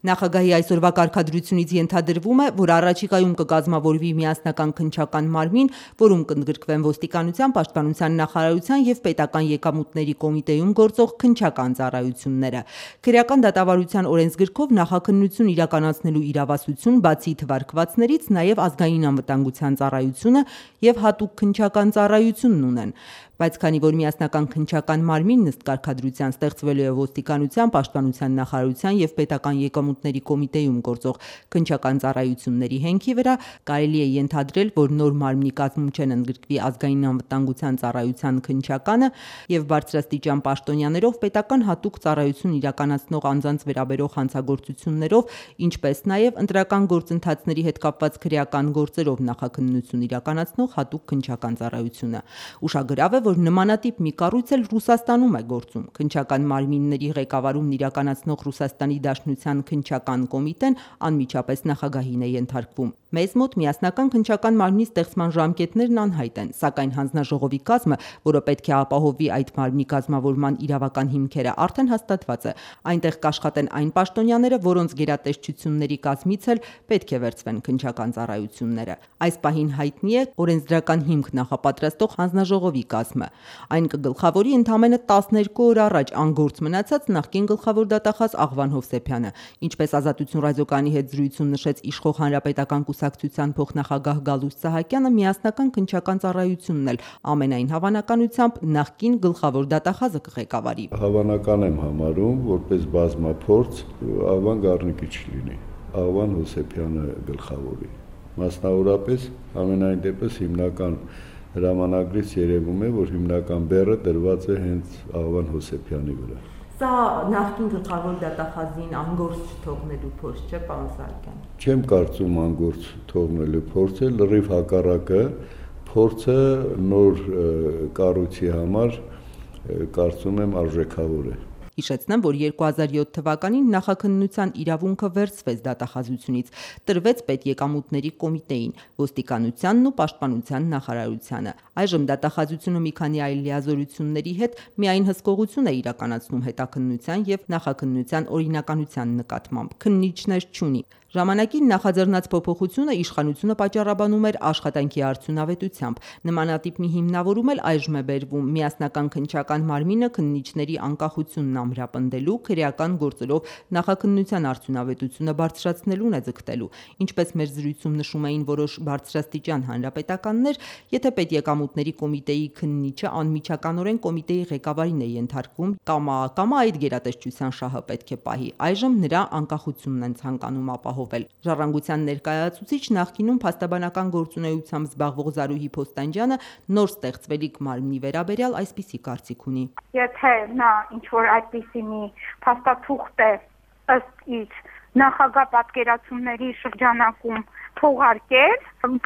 Նախագահի այսօրվա կարգադրությունից ենթադրվում է, որ առաջիկայում կկազմավորվի միասնական քննչական մարմին, որում կընդգրկվեն ոստիկանության, պաշտպանության նախարարության և պետական եկամուտների կոմիտեում գործող քննչական ծառայությունները։ Քրեական դատավարության օրենսգրքով նախաքննություն իրականացնելու իրավասություն բացի թվարկվածներից նաև ազգային անվտանգության ծառայությունը և հատուկ քննչական ծառայությունն ունեն։ Բայց քանի որ միասնական քննչական մարմինն ըստ կարգադրության ստեղծվելու է ոստիկանության, պաշտպանության նախարարության և պետական եկամուտների կոմիտեում գործող քննչական ծառայությունների հենքի վրա, կարելի է ենթադրել, որ նոր մարմնի կազմում չեն ընդգրկվի ազգային անվտանգության ծառայության քննչականը և բարձրաստիճան պաշտոնյաներով պետական հատուկ ծառայություն իրականացնող անձանց վերաբերող հանցագործություններով, ինչպես նաև ընտրական գործընթացների հետ կապված քրեական գործերով նախաքննություն իրականացնող հատուկ քննչական ծառայությունը։ Ուշագրավ է, որ նմանատիպ մի կառույց էլ Ռուսաստանում է գործում։ Քննչական մարմինների ղեկավարումն իրականացնող Ռուսաստանի Դաշնության քննչական կոմիտեն անմիջապես նախագահին է ենթարկվում։ Մեզ մոտ միասնական քննչական մարմնի ստեղծման ժամկետներն անհայտ են, սակայն հանձնաժողովի կազմը, որը պետք է ապահովի այդ մարմնի կազմավորման իրավական հիմքերը, արդեն հաստատված է։ Այնտեղ կաշխատեն այն պաշտոնյաները, որոնց գերատեսչությունների կազմից էլ պետք է վերցվեն քննչական ծառայությունները։ Այս պահին հայտնի է օրենսդրական հիմք նախապատրաստող հանձնաժողովի կազմը։ Այն կգլխավորի ընդամենը 12 օր առաջ անգործ մնացած նախկին գլխավոր դատախազ Աղվան Հովսեփյանը։ Ինչպես Ազատություն ռադիոկայանի հետ զրույցում նշեց իշխող հանրապետական կուսակցության փոխնախագահ Գալուստ Սահակյանը, միասնական քննչական ծառայությունն էլ ամենայն հավանականությամբ նախկին գլխավոր դատախազը կղեկավարի։ Հավանական եմ համարում, որպես բազմափորձ Աղվան Գառնիկի չլինի, Աղվան Հովսեփյանը գլխավորի։ Մասնավորապես ամենայն դեպս հիմնական հրամանագրից երևում է, որ հիմնական բեռը դրված է հենց Աղվան Հովսեփյանի վրա։ Սա նախկին գլխավոր դատախազին անգործ չթողնելու փորձ չէ, պարոն Սահակյան։ Չեմ կարծում անգործ թողնելու փորձ է, լրիվ հակառակը, փորձը նոր կառույցի համար կարծում եմ արժեքավոր է։ Հիշեցնեմ, որ 2007 թվականին նախաքննության իրավունքը վերցվեց դատախազությունից, տրվեց պետեկամուտների կոմիտեին, ոստիկանությանն ու պաշտպանության նախարարությանը։ Այժմ դատախազությունը մի քանի այլ լիազորությունների հետ միայն հսկողություն է իրականացնում հետաքննության և նախաքննության օրինականության նկատմամբ, քննիչներ չունի։ Ժամանակին նախաձեռնած փոփոխությունը իշխանությունը պատճառաբանում էր աշխատանքի արդյունավետությամբ։ Նմանատիպ մի հիմնավորում էլ այժմ է բերվում միասնական քննչական մարմինը քննիչների անկախությունն ամրապնդելու, քրեական գործերով նախաքննության արդյունավետությունը բարձրացնելուն է ձգտելու։ Ինչպես մեր զրույցում նշում էին որոշ բարձրաստիճան հանրապետականներ, եթե պետեկամուտների կոմիտեի քննիչը անմիջականորեն կոմիտեի ղեկավարին է ենթարկվում, կամա այդ գերատեսչության շահը պետք է պահի։ Այժմ նրա անկախությունն են ցանկանում ապահովել։ Ժառանգության ներկայացուցիչ նախկինում փաստաբանական գործունեությամբ զբաղվող Զարուհի Փոստանջյանը նոր ստեղծվելիք մարմնի վերաբերյալ այսպիսի կարծիք ունի։ Եթե նա ինչ-որ այդպիսի մի փաստաթուղթ է ըստ իր նախագահ պատկերացումների շրջանակում թողարկել,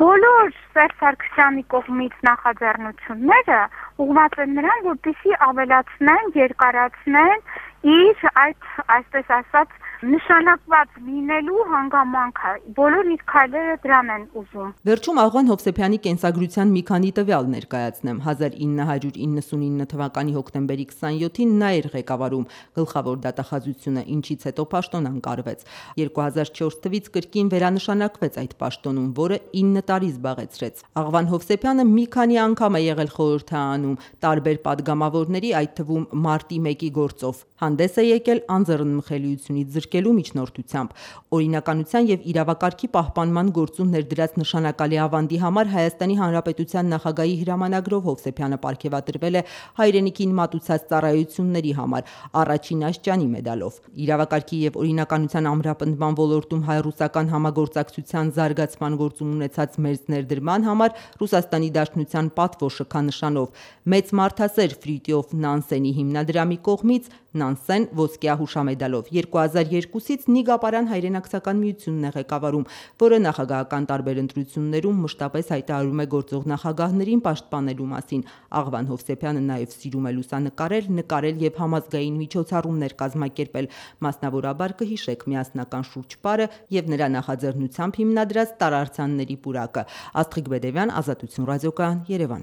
բոլոր Սերժ Սարգսյանի կողմից նախաձեռնությունները ուղղված են նրան, որպեսզի ավելացնեն, երկարացնեն իր այդ, այսպես ասած, նշանակված լինելու հանգամանքը։ Բոլոր իր քայլերը դրան են ուզում։ Վերջում Աղվան Հովսեփյանի կենսագրության մի քանի տվյալ ներկայացնեմ։ 1999 թվականի հոկտեմբերի 27-ին նա էր ղեկավարում գլխավոր դատախազությունը, ինչից հետո պաշտոն անկարվեց։ 2004 թվականից կրկին վերանշանակվեց այդ պաշտոնում, որը 9 տարի զբաղեցրեց։ Աղվան Հովսեփյանը մի քանի անգամ է եղել խորհրդարանում տարբեր падգամավորների, այդ թվում մարտի 1-ի գործով։ Հանդես է եկել անձեռնմխելիությունից զրկելու միջնորդությամբ։ Օրինականության և իրավակարգի պահպանման գործում ներդրած նշանակալի ավանդի համար Հայաստանի Հանրապետության նախագահի հրամանագրով Հովսեփյանը պարգևատրվել է հայրենիքին մատուցած ծառայությունների համար առաջին աստիճանի մեդալով։ Իրավակարգի և օրինականության ամրապնդման ոլորտում հայ-ռուսական համագործակցության զարգացման գործում ունեցած մեծ ներդրման համար Ռուսաստանի Դաշնության պատվո շքանշանով մեծ մարդասեր Ֆրիտյոֆ Նանսենի հիմնադրամի կողմից Նանսեն ոսկյա հուշամեդալով 2002-ից Նիգա Պարան հայրենակցական միությունն է ղեկավարում, որը նախագահական տարբեր ընտրություններում մշտապես հայտարարում է գործող նախագահներին պաշտպանելու մասին։ Աղվան Հովսեփյանը նաև սիրում է լուսանկարել, նկարել և համազգային միջոցառումներ կազմակերպել, մասնավորաբար կհիշեք միասնական շուրջ պարը և նրա նախաձեռնությամբ հիմնադրած տարրացանների պուրակը։ Աստղիկ Բեդևյան, Ազատություն ռադիոկայան, Երևան։